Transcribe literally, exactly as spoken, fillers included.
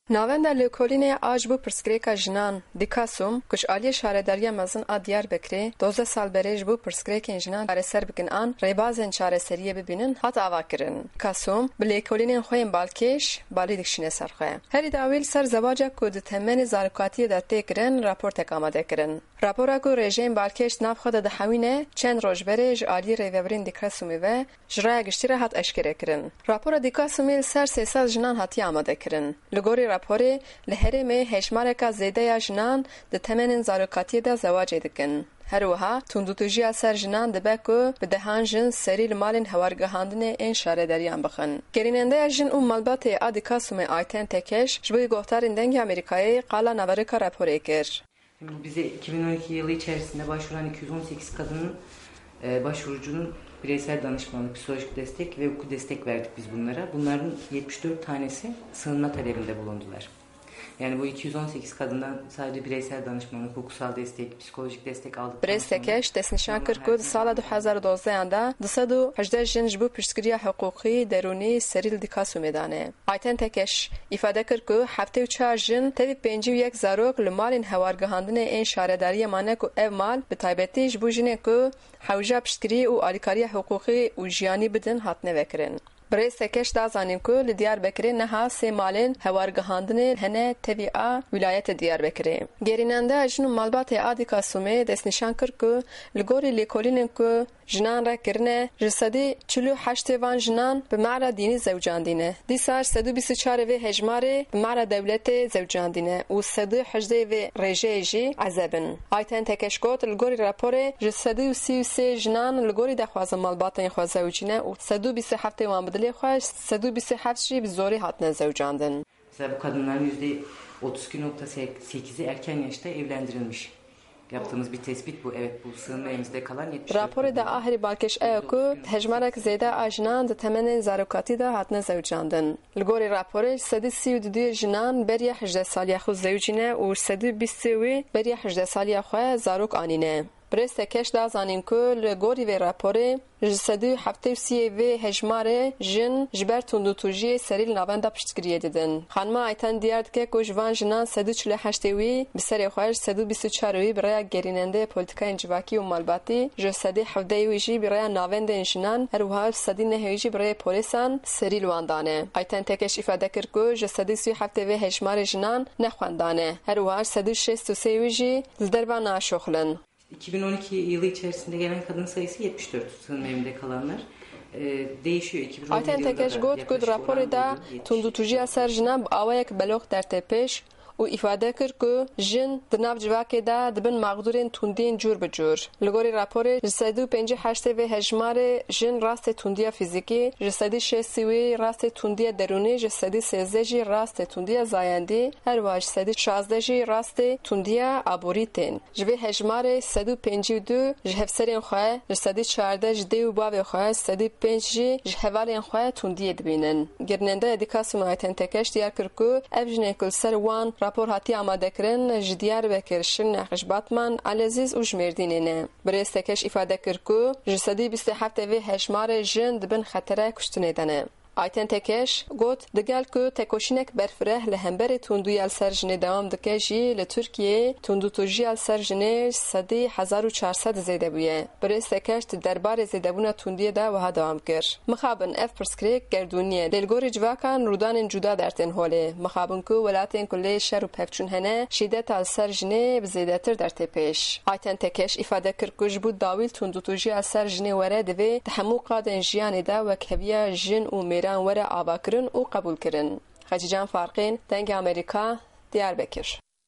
Navenda lêkolînê a ji bo pirsgirêka jinan, Dîkasûm, ku ji aliyê Şaredariya Mezin a Diyarbekirê dozdeh sal berê ji bo pirsgirêkên jinan çareser bikin an rêbazên çareseriyê bibînin, hat avakirin. Dîkasûm bi lêkolînên xwe yên balkêş balî dikişîne ser xwe. Herî dawî li ser zewaca ku di temenê zarokatiyê de tê kirin, raportek amade kirin. Rapora ku rêjeyên balkêş di nav xwe de dihewîne, çend roj berê ji aliyê rêvebirên Dîkasûmê ve ji raya giştî re hat eşkerekirin. Rapora Dîkasûmê li ser sê sed jinan hatiye amadekirin. Li gorî raporê, li herêmê hejmareka zêde ya jinan di temenên zarokatiyê de zewacê dikin. Her wiha, tundûtûjiya ser jinan dibe ku bi dehan jin serî li malên hewargihandinê ên şaredariyan bixin. Gerînendeya jin û malbatê a Dîkasûmê Ayten Tekeş ji bo guhdarên Dengê Amerîkayê qala naverika raporê kir. Bu bize iki bin on iki yılı içerisinde başvuran iki yüz on sekiz kadının, e, başvurucunun bireysel danışmanlık, psikolojik destek ve hukuki destek verdik biz bunlara. Bunların yetmiş dört tanesi sığınma talebinde bulundular. Yani bu iki yüz on sekiz kadından sadece bireysel danışmanlık, hukuksal destek, psikolojik destek aldıktan Birêz sonra Tekeş destnîşan kir ku di sala du hezar û dozdeh de du sed û hejdeh jin ji bo piştgiriya hiqûqî derûnî serî li Dîkasûmê dane. Ayten Tekeş îfade kir ku heftê û çar jin tevî pêncî û yek zarok li malên hewargihandinê ên şaredariyê mane ku ev mal bi taybetî ji bo jinên ku hewja piştgirî û alîkariya hiqûqî û jiyanî bidin hatine vekirin. Birêz Tekeş da zanîn ku li Diyarbekirê niha sê malên hewargihandinê hene tevî a wîlayetê Diyarbekirê. Gerînendeya jin û malbatê a Dîkasûmê destnîşan kir ku li gorî lêkolînên ku jinan re kirine, ji sedî çil û heştê van jinan bi mala dînî zewcandîne. Dîsa ji sedî bîst û çarê vê hejmarê bi mala dewletê zewcandîne û sedî hejdê vê rêjeyê jî ezeb in. Ayten Tekeş got, li gorî raporê ji sedî û sî û sê jinan li gorî daxwaza malbatên xwe zewicîne û sedî û bîst û heftê wan bi dilê xwe, sedî û bîst û heft jî bi zorî hatine zewcandin. Mesela bu kadınların yüzde otuz iki nokta sekizi erken yaşta evlendirilmiş. Yaptığımız bir tespit bu. Evet, bu sığınma evimizde kalan yetmiş dört Raporê de kadın. Aherî balkêş ew ku hejmarek zêde a jinan di temenên zarokatî de hatine zewicandin. Li gorî raporê, sedî sî û du jinan beriya hejdeh saliya xwe zewicîne û sedî bîst wî beriya hejdeh saliya xwe zarok anîne. Birêz Tekeş da zanîn ku li gorî vê raporê, ji sedî heftê û sî vê hejmarê jin ji ber tundûtûjiyê serî li navenda piştgiriyê didin. Xanima Ayten diyar dike ku ji van jinan sedî çil û heştê wî bi serê xwe, ji sedî bîst û çar wî bi rêya gerînendeyê polîtikayên civakî û malbatî, ji sedî hevdeh wî jî bi rêya navendên jinan, her wiha ji sedî neh wî jî bi rêyê polîsan serî li wan dane. Ayten Tekeş îfade kir ku ji sedî sî û heftê vê hejmarê jinan ne xwendan e. Her wiha ji sedî şêst û sê wî jî li derve naşoxilin. iki bin on iki yılı içerisinde gelen kadın sayısı yetmiş dört sığınma evinde kalanlar. E, değişiyor. iki bin on yedi Ayten yılında Tekeş da got ku di yaklaşık raporê oran de buydu. Tundûtûjiya ser jinan bi awayek belox dertê pêş û îfade kir ku jin di nav civakê de dibin mexdûrên tundiyên cûr bi cûr. Li gorî raporê, ji sedî û pêncî heştê vê hejmarê jin rastê tundiya fîzîkî, ji sedî şêstî wî rastê tundiya derûnî, ji sedî sêzdeh jî rastê tundiya zayendî, her wiha ji sedî şazdeh jî rastê tundiya aborî tên. Ji vê hejmarê sedî û pêncî û du ji hevserên xwe, ji sedî çardeh ji dê û bavê xwe, sedî pênc jî ji hevalên xwe tundiyê dibînin. Gerînendeya Dîkasûmê Ayten Tekeş diyar kir ku ev jinên ku li ser wan rapor hatiye amadekirin ji Diyarbekir, Şirnex, ji Batman, Elezîz û ji Mêrdînê ne. Birêz Tekeş îfade kir ku ji sedî bîst û heft vê hejmarê jin di bin xetere kuştinê de ne. Ayten Tekeş got, digel ku tekoşînek berfireh li hemberî tundûya li ser jinê dewam dike jî, li Tirkiyeyê tundûtûjiya li ser jinê ji sedî hezar û çar sed zêde bûye. Birêz Tekeş di derbarê zêdebûna tundiyê de wiha dewam kir, Mixabin ev pirsgirêk gerdûnî ye, lê li gorî civakan rûdanên cuda dertên holê. Mixabin ku welatên ku lê şer û pevçûn hene, şîdeta li ser jinê bi zêdetir dertê pêş. Ayten Tekeş îfade kir ku ji bo dawî li tundûtûjiya li ser jinê were, divê di hemû qadên jiyanê de wekheviya jin û mêran were avakirin û qebûlkirin. Xecîcan Farqîn, Dengê Amerîka, Diyarbekir.